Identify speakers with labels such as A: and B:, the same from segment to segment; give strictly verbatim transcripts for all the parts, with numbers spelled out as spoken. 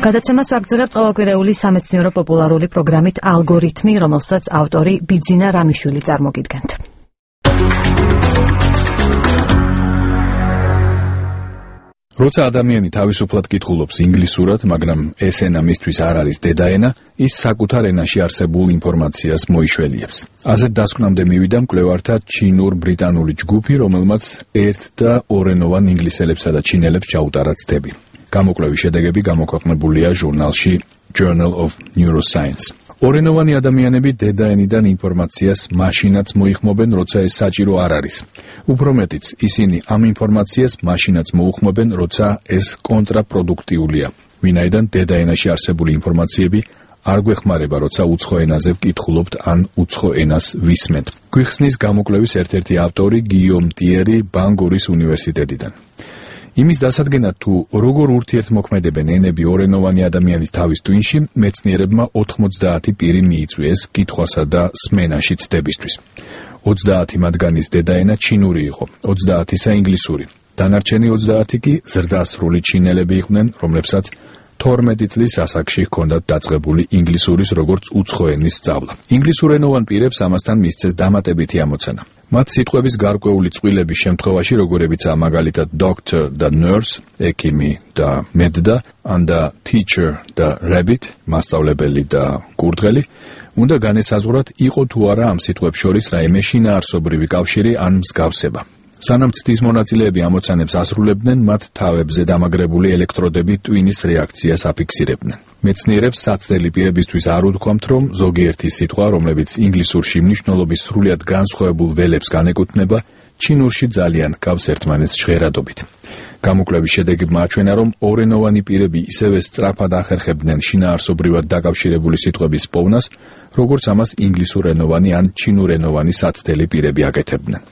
A: გადაცემას ვაგრძელებთ ყოველკვირეული სამეცნიერო პოპულარული პროგრამით ალგორითმი, რომელსაც ავტორი ბიძინა რამიშვილი წარმოგიდგენთ.
B: როცა ადამიანი თავისუფლად კითხულობს ინგლისურად, მაგრამ ეს ენა მისთვის არ არის დედაენა, ის საკუთარ ენაში არსებულ ინფორმაციას მოიშველიებს. ასეთ დასკვნამდე მივიდა მკვლევართა ჩინურ-ბრიტანული ჯგუფი, რომელმაც ერთ და ორენოვან ინგლისელებსა და ჩინელებს ჩაუტარა ცდები. გამოკვლევის შედეგები გამოქვეყნებულია ჟურნალში Journal of Neuroscience. ორენოვანი ადამიანები დედაენიდან ინფორმაციას მაშინაც მოიხმობენ, როცა ეს საჭირო არ არის. უფრო მეტიც, ისინი ამ ინფორმაციას მაშინაც მოუხმობენ, როცა ეს კონტრაპროდუქტიულია. ვინაიდან დედაენაში არსებული ინფორმაციები არ გვეხმარება, როცა უცხო ენაზე ვკითხულობთ ან უცხო ენას ვისმენთ. გვიხსნის გამოკვლევის ერთ-ერთი ავტორი გიიომ ტიერი ბანგორის უნივერსიტეტიდან. იმის დასადგენად, თუ როგორ ურთიერთმოქმედებენ ენები ორენოვანი ადამიანის თავის ტვინში, მეცნიერებმა ოთხმოცდაათი პირი მიიწვიეს კითხვასა და სმენაში ცდებისთვის. ოცდაათი მათგანის დედაენა ჩინური იყო, ოცდაათისა ინგლისური. დანარჩენი ოცდაათი კი ზრდასრული ჩინელები იყვნენ, რომლებსაც თორმეტი წლის ასაკში ჰქონდათ დაწყებული ინგლისურის როგორც უცხო ენის სწავლა. ინგლისურენოვან პირებს ამასთან მისცეს დამატებითი ამოცანა. მათ სიტყვების გარკვეული წყვილების შემთხვევაში, როგორებიცაა მაგალითად doctor და nurse, ექიმი და მედდა, ან და teacher და rabbit, მასწავლებელი და კურდღელი, უნდა განესაზღვრათ, იყო თუ არა ამ სიტყვებს შორის რაიმე შინაარსობრივი კავშირი ან მსგავსება. სანამ ცდის მონაწილეები ამოცანებს ასრულებდნენ, მათ თავებზე დამაგრებული ელექტროდები ტვინის რეაქციას აფიქსირებდნენ. მეცნიერებს საცდელი პირებისთვის არ უთქვამთ, რომ ზოგიერთი სიტყვა, რომლებიც ინგლისურში მნიშვნელობის სრულიად განსხვავებულ ველებს განეკუთვნება, ჩინურში ძალიან ჰგავს ერთმანეთს ჟღერადობით. გამოკვლევის შედეგებმა აჩვენა, რომ ორენოვანი პირები ისევე სწრაფად ახერხებდნენ შინაარსობრივად დაკავშირებული სიტყვების პოვნას, როგორც ამას ინგლისურენოვანი ან ჩინურენოვანი საცდელი პირები აკეთებდნენ.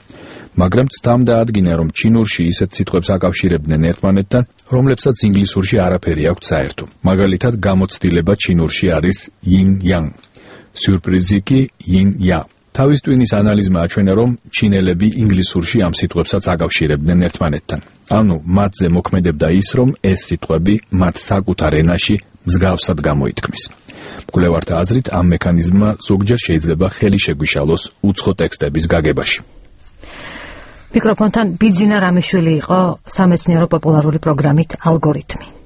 B: მაგრამ ცდამ დაადგინა, რომ ჩინურში ისეთ სიტყვებს აკავშირებდნენ ერთმანეთთან, რომლებსაც ინგლისურში არაფერი აქვთ საერთო. მაგალითად, გამოცდილება ჩინურში არის yin-yang, სიურპრიზი კი yin-ya. თავის ტვინის ანალიზმა აჩვენა, რომ ჩინელები ინგლისურში ამ სიტყვებსაც აკავშირებდნენ ერთმანეთთან. ანუ, მათზე მოქმედებდა ის, რომ ეს სიტყვები მათ საკუთარ ენაში მსგავსად გამოითქმის. მკვლევართა აზრით, ამ მექანიზმმა ზოგჯერ შეიძლება ხელი შეგვიშალოს უცხო ტექსტების გაგებაში.
A: მიკროფონთან ბიძინა რამიშვილი იყო სამეცნიერო პოპულარული პროგრამით ალგორითმი.